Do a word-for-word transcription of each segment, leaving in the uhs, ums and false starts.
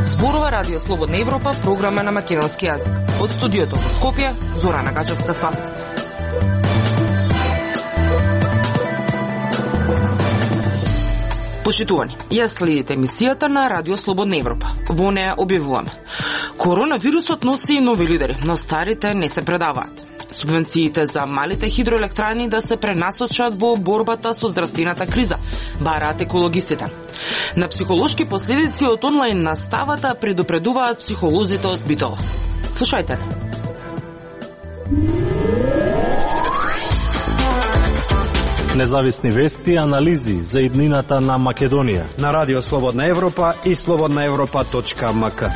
Зборува Радио Слободна Европа, програма на македонски јазик. Од студиото во Скопје, Зорана Гачевска-Спасовска. Почитувани, ја следите емисијата на Радио Слободна Европа. Во неја објавуваме: коронавирусот носи и нови лидери, но старите не се предаваат. Субвенциите за малите хидроелектрани да се пренасочат во борбата со здравствената криза, бараат екологистите. На психолошки последици од онлайн наставата предупредуваат психолозите од Битола. Слушајте. Независни вести и анализи за иднината на Македонија на Радио Слободна Европа и слободна европа точка ем ка.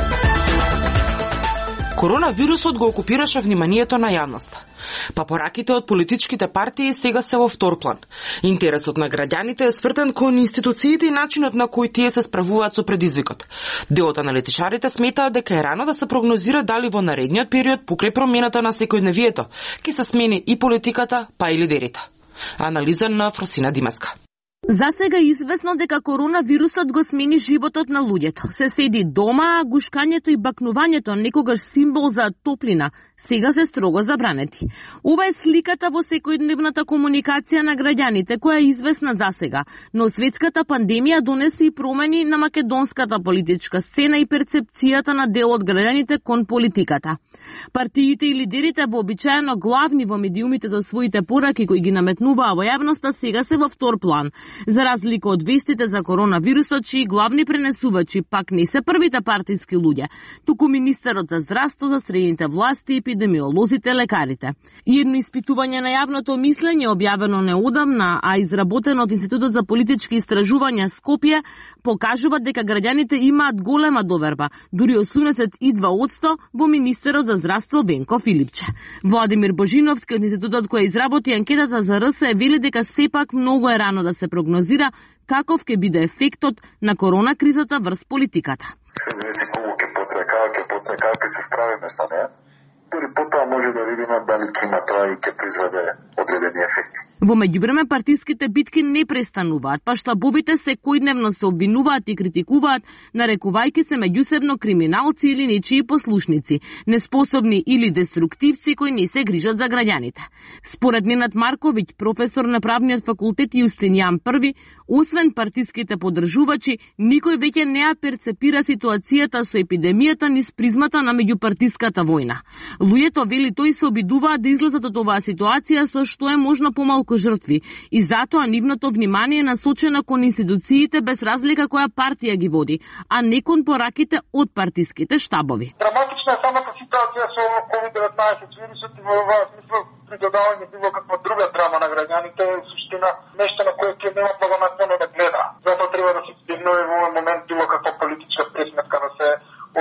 Коронавирусот го окупираше вниманието на јавноста. Папораките од политичките партии сега се во втор план. Интересот на граѓаните е свртен кон институциите и начинот на кој тие се справуваат со предизвикот. Дел од аналитичарите сметаат дека е рано да се прогнозира дали во наредниот период, покрај промената на секојдневието, ќе се смени и политиката, па и лидерите. Анализа на Фросина Димеска. За сега е известно дека коронавирусот го смени животот на луѓето. Се седи дома, а гушкањето и бакнувањето, некогаш символ за топлина, сега се строго забранети. Ова е сликата во секојдневната комуникација на граѓаните, која е известна за сега, но светската пандемија донесе и промени на македонската политичка сцена и перцепцијата на дел од граѓаните кон политиката. Партиите и лидерите вообичаено главни во медиумите за своите пораки кои ги наметнуваа во јавноста сега се во втор план. За разлика од вестите за коронавирусот, чии главни пренесувачи пак не се првите партиски луѓе, туку министерот за здравство, за средните власти, епидемиолозите, лекарите. И едно испитување на јавното мислење, објавено неодамна, а изработено од Институтот за политички истражувања Скопје, покажува дека граѓаните имаат голема доверба, дури осумдесет и два одсто во министерот за здравство Венко Филипче. Владимир Божиновски од институтот кој изработи анкетата за РС вели дека сепак многу е рано да се прогнозира каков ќе биде ефектот на корона кризата врз политиката. Се зависи колку ќе потрае, како ќе потрае, како ќе се справиме со неа. Дори потоа може да видиме дали ќе има тоа и ќе произведе одредени ефекти. Во меѓувреме партиските битки не престануваат, па штабовите секојдневно се обвинуваат и критикуваат, нарекувајќи се меѓусебно криминалци или нечии послушници, неспособни или деструктивци кои не се грижат за граѓаните. Според Ненад Марковиќ, професор на правниот факултет Јустинијан Први, освен партиските поддржувачи, никој веќе не ја перцепира ситуацијата со епидемијата низ призмата на меѓупартиската војна. Луѓето, вели тој, се обидуваат да излезат од оваа ситуација со што е можно помалку жртви и затоа нивното внимание е насочено кон институциите без разлика која партија ги води, а не кон пораките од партиските штабови. Драматична е самата ситуација со ковид деветнаесет вирусот и во оваа смисла придодавање било каква друга драма на граѓаните е суштина нешто на кое ќе нема благонаклоно да гледа. Затоа треба да се избегнува во овој момент било каква политичка пресметка да се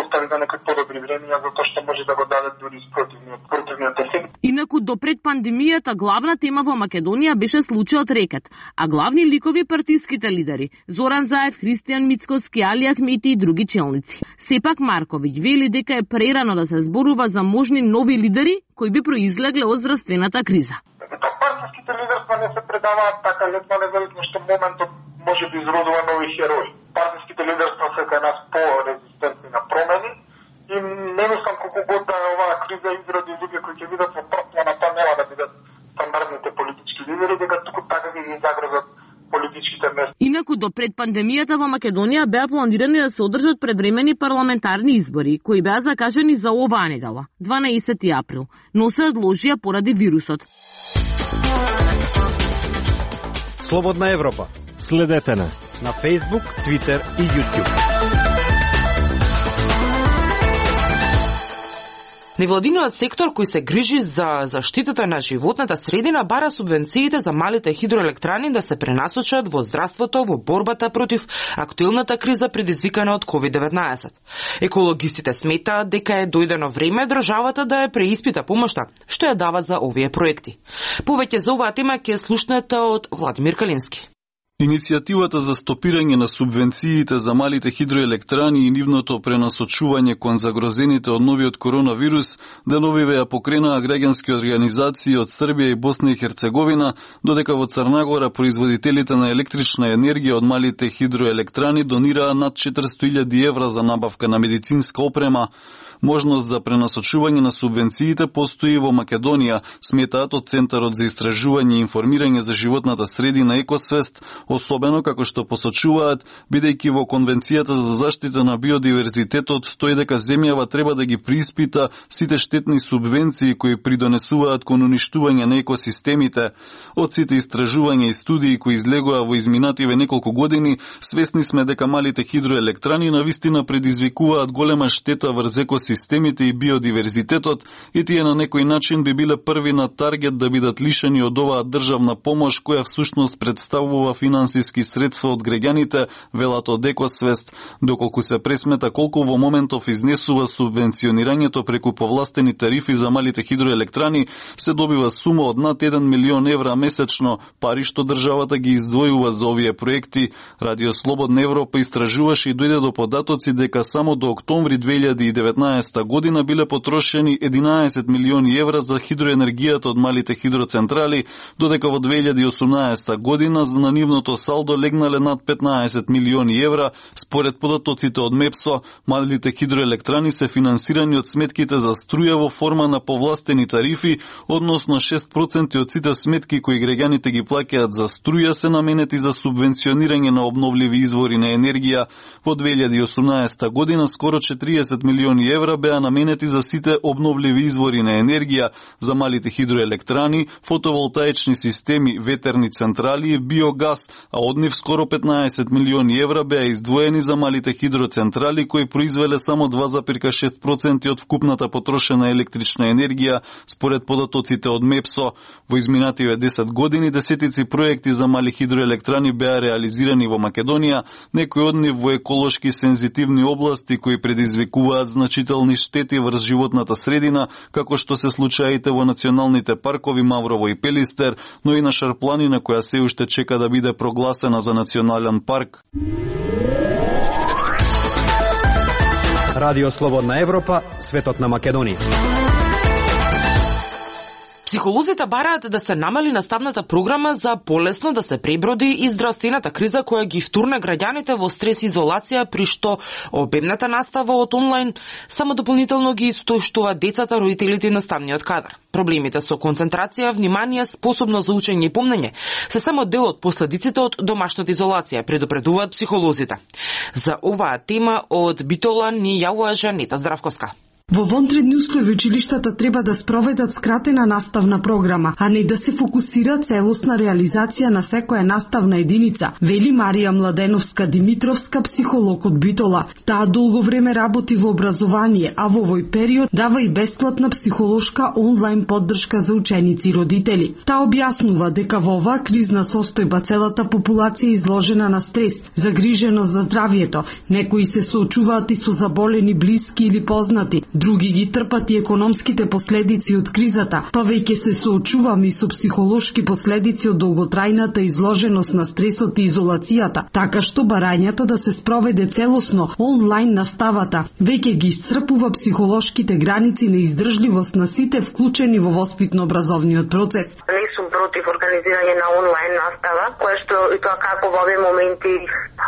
остави за некои подобри времења, затоа што може да го даде дури спротивниот, противниот ефект. Инаку до пред пандемијата главна тема во Македонија беше случајот Рекет, а главни ликови партиските лидери Зоран Заев, Христијан Мицкоски, Али Ахмети и други челници. Сепак Марковиќ вели дека е прерано да се зборува за можни нови лидери кои би произлегле од здравствената криза. Партиските лидерства не се предаваат така лесно, независно што моментот може би изродува нови херои. Партиските лидерства се кај нас по-резистентни на промени и не мислам колку год да оваа криза изроди луѓе кои ќе видат во прв план, а тоа нема да бидат стандардните политички лидери, дека туку така ги загрозат политичките места. Инаку до пред пандемијата во Македонија беа планирани да се одржат предвремени парламентарни избори, кои беа закажани за оваа недела, дванаесети април, но се одложија поради вирусот. Слободна Европа. Следете на на Facebook, Twitter и YouTube. Невладиниот сектор кој се грижи за заштитата на животната средина бара субвенциите за малите хидроелектрани да се пренасочат во здравството во борбата против актуелната криза предизвикана од ковид деветнаесет. Екологистите сметаат дека е дојдено време државата да ја преиспита помошта што ја дава за овие проекти. Повеќе за оваа тема ќе слушнете од Владимир Калински. Иницијативата за стопирање на субвенциите за малите хидроелектрани и нивното пренасочување кон загрозените од новиот коронавирус деновиве ја покренаа граѓански организации од Србија и Босна и Херцеговина, додека во Црна Гора производителите на електрична енергија од малите хидроелектрани донираа над четиристотини илјади евра за набавка на медицинска опрема. Можност за пренасочување на субвенциите постои во Македонија, сметаат од Центарот за истражување и информирање за животната средина Екосвест, особено како што посочуваат, бидејќи во Конвенцијата за заштита на биодиверзитетот стои дека земјава треба да ги прииспита сите штетни субвенции кои придонесуваат кон уништување на екосистемите. Од сите истражувања и студии кои излегоа во изминативе неколку години, свесни сме дека малите хидроелектрани навистина предизвикуваат голема штета врз екосистемите системите и биодиверзитетот и тие на некој начин би биле први на таргет да бидат лишени од оваа државна помош која всушност представува финансиски средства од граѓаните, велат од Екосвест, доколку се пресмета колку во моментов изнесува субвенционирањето преку повластени тарифи за малите хидроелектрани, се добива сума од над еден милион евра месечно, пари што државата ги издвојува за овие проекти. Радио Слободна Европа истражуваше и дојде до податоци дека само до октомври две илјади и деветнаесета година биле потрошени единаесет милиони евра за хидроенергијата од малите хидроцентрали, додека во две илјади и осумнаесета година на нивното салдо легнале над петнаесет милиони евра. Според податоците од МЕПСО, малите хидроелектрани се финансирани од сметките за струја во форма на повластени тарифи, односно шест проценти од сите сметки кои граѓаните ги плаќаат за струја се наменети за субвенционирање на обновливи извори на енергија. Во две илјади и осумнаесета година скоро четириесет милиони евра беа наменети за сите обновливи извори на енергија, за малите хидроелектрани, фотоволтаични системи, ветерни централи и биогаз, а од нив скоро петнаесет милиони евра беа издвоени за малите хидроцентрали кои произвеле само два зарез шест проценти од вкупната потрошена електрична енергија, според податоците од МЕПСО. Во изминативе десет години десетици проекти за мали хидроелектрани беа реализирани во Македонија, некои од нив во еколошки сензитивни области кои предизвикуваат значителни штети врз животната средина, како што се случаите во националните паркови Маврово и Пелистер, но и на Шарпланина која се уште чека да биде прогласена за национален парк. Радио Слободна Европа, светот на Македонија. Психолозите бараат да се намали наставната програма за полесно да се преброди и здравствената криза која ги втурна граѓаните во стрес изолација, при што обемната настава од онлайн само дополнително ги истоштува децата, родителите и наставниот кадар. Проблемите со концентрација, внимание, способност за учење и помнење се само дел од последиците од домашната изолација, предупредуваат психолозите. За оваа тема од Битола ни јавува Жанета Здравковска. Во вонредни услови училиштата треба да спроведат скратена наставна програма, а не да се фокусира целосна реализација на секоја наставна единица, вели Марија Младеновска-Димитровска, психолог од Битола. Таа долго време работи во образование, а во овој период дава и бесплатна психолошка онлайн поддршка за ученици и родители. Таа објаснува дека во оваа кризна состојба целата популација е изложена на стрес, загриженост за здравјето. Некои се соочуваат и со заболени блиски или познати, други ги трпат и економските последици од кризата, па веќе се соочуваме и со психолошки последици од долготрајната изложеност на стресот и изолацијата, така што барањата да се спроведе целосно онлайн наставата веќе ги исцрпува психолошките граници на издржливост на сите вклучени во воспитно-образовниот процес. Не сум против организирање на онлайн настава, кое што и тоа како во овие моменти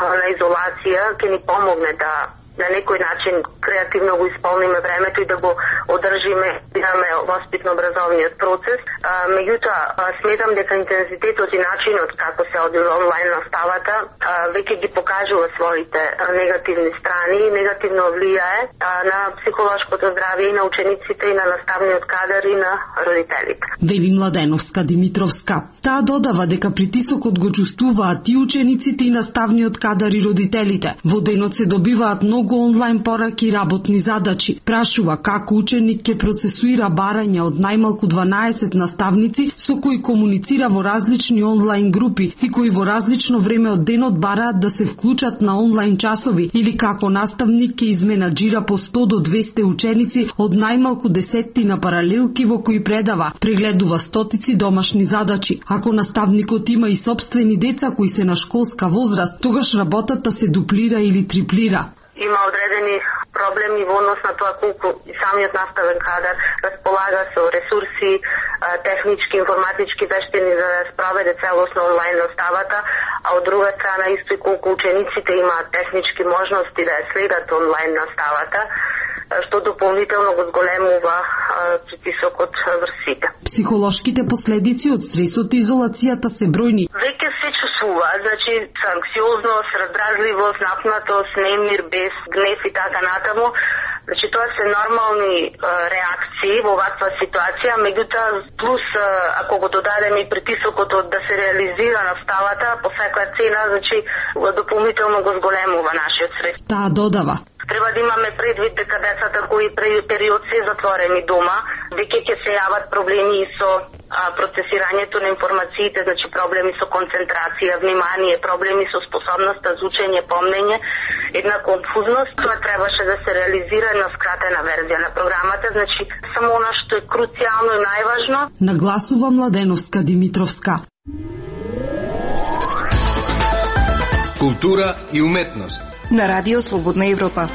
на изолација ќе ни помогне да на некој начин креативно го исполниме времето и да го одржиме имаме воспитно-образовниот процес. А, меѓутоа, сметам дека интензитетот и начинот како се одвива онлайн наставата а, веќе ги покажува своите негативни страни и негативно влијае а, на психолошкото здравје и на учениците и на наставниот кадар и на родителите. Вели Младеновска Димитровска. Таа додава дека притисокот го чувствуваат и учениците и наставниот кадар и родителите. Во денот се добиваат многу многу онлайн пораки и работни задачи. Прашува како ученик ќе процесуира барања од најмалку дванаесет наставници со кои комуницира во различни онлайн групи и кои во различно време од денот бараат да се вклучат на онлайн часови, или како наставник ќе изменаџира по сто до двесте ученици од најмалку десеттина паралелки во кои предава, прегледува стотици домашни задачи. Ако наставникот има и собствени деца кои се на школска возраст, тогаш работата се дуплира или триплира. Има одредени проблеми во однос на тоа колку и самиот наставен кадар располага со ресурси, технички, информатички вештини за да спроведе целосно онлайн наставата, а од друга страна исто и колку учениците имаат технички можности да ја следат онлайн наставата, што дополнително го зголемува притисокот врз сите. Психолошките последици од стресот и изолацијата се бројни. Веќе се чувствува, значи анксиозност, раздразливост, напнатост, немир, бес, гнев и така натаму. Значи тоа се нормални е, реакции во ваква ситуација, меѓутоа плюс е, ако го додадеме и притисокот од да се реализира наставата по секоја цена, значи дополнително го зголемува нашиот стрес. Таа додава: треба да имаме предвид дека децата кои период се затворени дома, веќе ќе се јават проблеми и со а, процесирањето на информациите, значи проблеми со концентрација, внимание, проблеми со способноста за учење, помнење, една конфузност. Тоа требаше да се реализира на скратена верзија на програмата, значи само она што е круцијално и најважно. Нагласува Младеновска Димитровска. Култура и уметност на Радио Слободна Европа.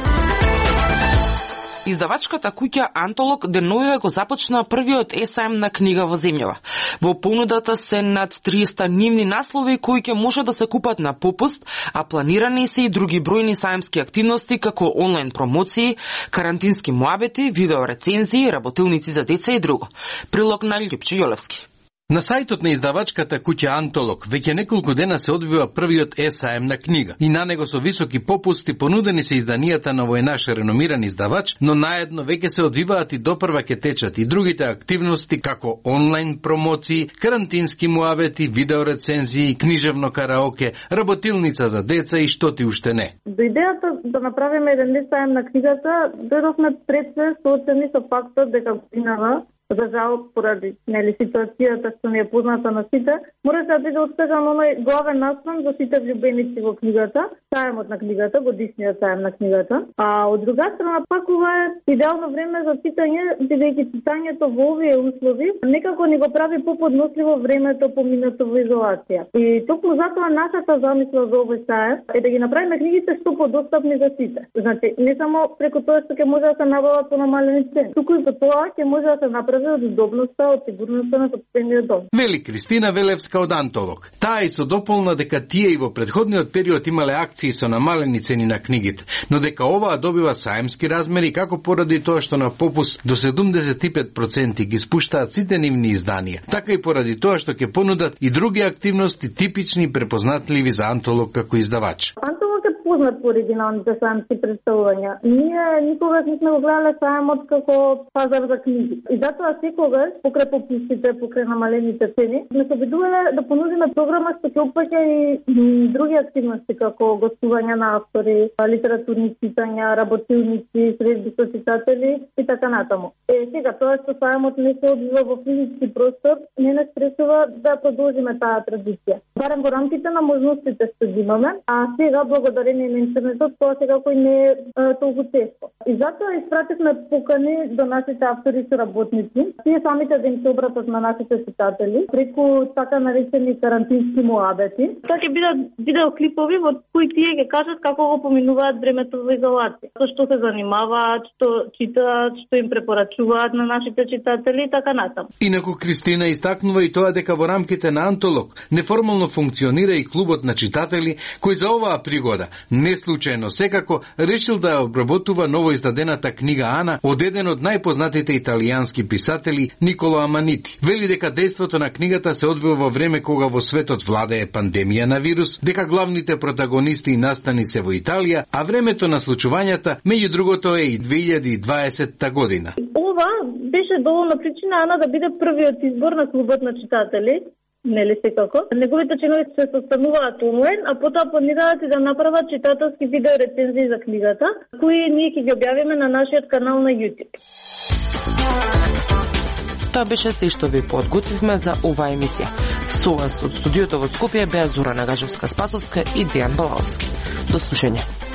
Издавачката куќа Антолог деновиве го започна првиот есаем на книга во земјава. Во понудата се над триста нивни наслови кои ќе може да се купат на попуст, а планирани се и други бројни саемски активности како онлайн промоции, карантински муабети, видео рецензии, работилници за деца и друго. Прилог на Љупче Јолевски. На сајтот на издавачката куќа Антолог веќе неколку дена се одвива првиот есаем на книга и на него со високи попусти понудени се изданијата на овој наш реномиран издавач, но наедно веќе се одвиваат и допрва ќе течат и другите активности како онлайн промоции, карантински муабети, видео рецензии, книжевно караоке, работилница за деца и што ти уште не. До идејата да направиме еден есаем на книгата, дојдовме пред се соочени со фактот дека годинава, за жал, поради нели ситуацијата што не е позната на сите, мора да биде откажан оној главен наслов за сите влюбеници во книгата, саемот на книгата, годишниот саем на книгата. А од друга страна пак ова е идеално време за читање, бидејќи читањето во овие услови некако ни го прави поподносливо времето поминато во изолација. И токму затоа нашата замисла за овој саем е да ги направиме книгите што подостапни за сите. Значи, не само преку тоа што ќе може да се набават по намалени цени, туку и по тоа ќе може да се направи од удобноста, од сигурноста на собствениот дом. Вели Кристина Велевска од Антолог. Таа и со дополна дека тие и во претходниот период имале акции со намалени цени на книгите, но дека оваа добива саемски размери како поради тоа што на попус до седумдесет и пет проценти ги спуштаат сите нивни изданија, така и поради тоа што ќе понудат и други активности типични и препознатливи за Антолог како издавач. Познат по оригиналните саемски представувања. Ние никогаш не сме го гледале саемот како пазар за книги. И затоа секогаш, покрај попустите, покрај намалените цени, сме се обидувале да понудиме програма што ќе опфаќа и други активности, како гостувања на автори, литературни читања, работилници, средби со читатели и така натаму. Е, сега, тоа што саемот не се одвива во физички простор, не не спречува да продолжиме таа традиција. Барем во рамките на можностите што ги имаме, а сега благодарение на интернетот, тоа секако не е толку често. И затоа испративме покани до нашите автори и работници, тие самите да им се обратат на нашите читатели, преку така наречени карантински муабети. Тоа ќе бидат видеоклипови во кои тие ќе кажат како го поминуваат времето во изолација, со што се занимаваат, што читаат, што им препорачуваат на нашите читатели и така натаму. Инаку Кристина истакнува и тоа дека во рамките на Антолог неформално функционира и клубот на читатели кој за оваа пригода не случајно секако решил да обработува ново издадената книга Ана од еден од најпознатите италијански писатели Николо Аманити. Вели дека дејството на книгата се одвива во време кога во светот владее пандемија на вирус, дека главните протагонисти и настани се во Италија, а времето на случувањата меѓу другото е и две илјади и дваесетта година. Ова беше доволна причина Ана да биде првиот избор на клубот на читатели, нели секако. Неговите членови се состануваат онлайн, а потоа планираат и да направат читателски видео рецензии за книгата, кои ние ќе ги објавиме на нашиот канал на YouTube. Тоа беше се што ви подготвивме за оваа емисија. Со вас од студиото во Скопје беа Зорана Гажевска-Спасовска и Дејан Балаовски. До слушање.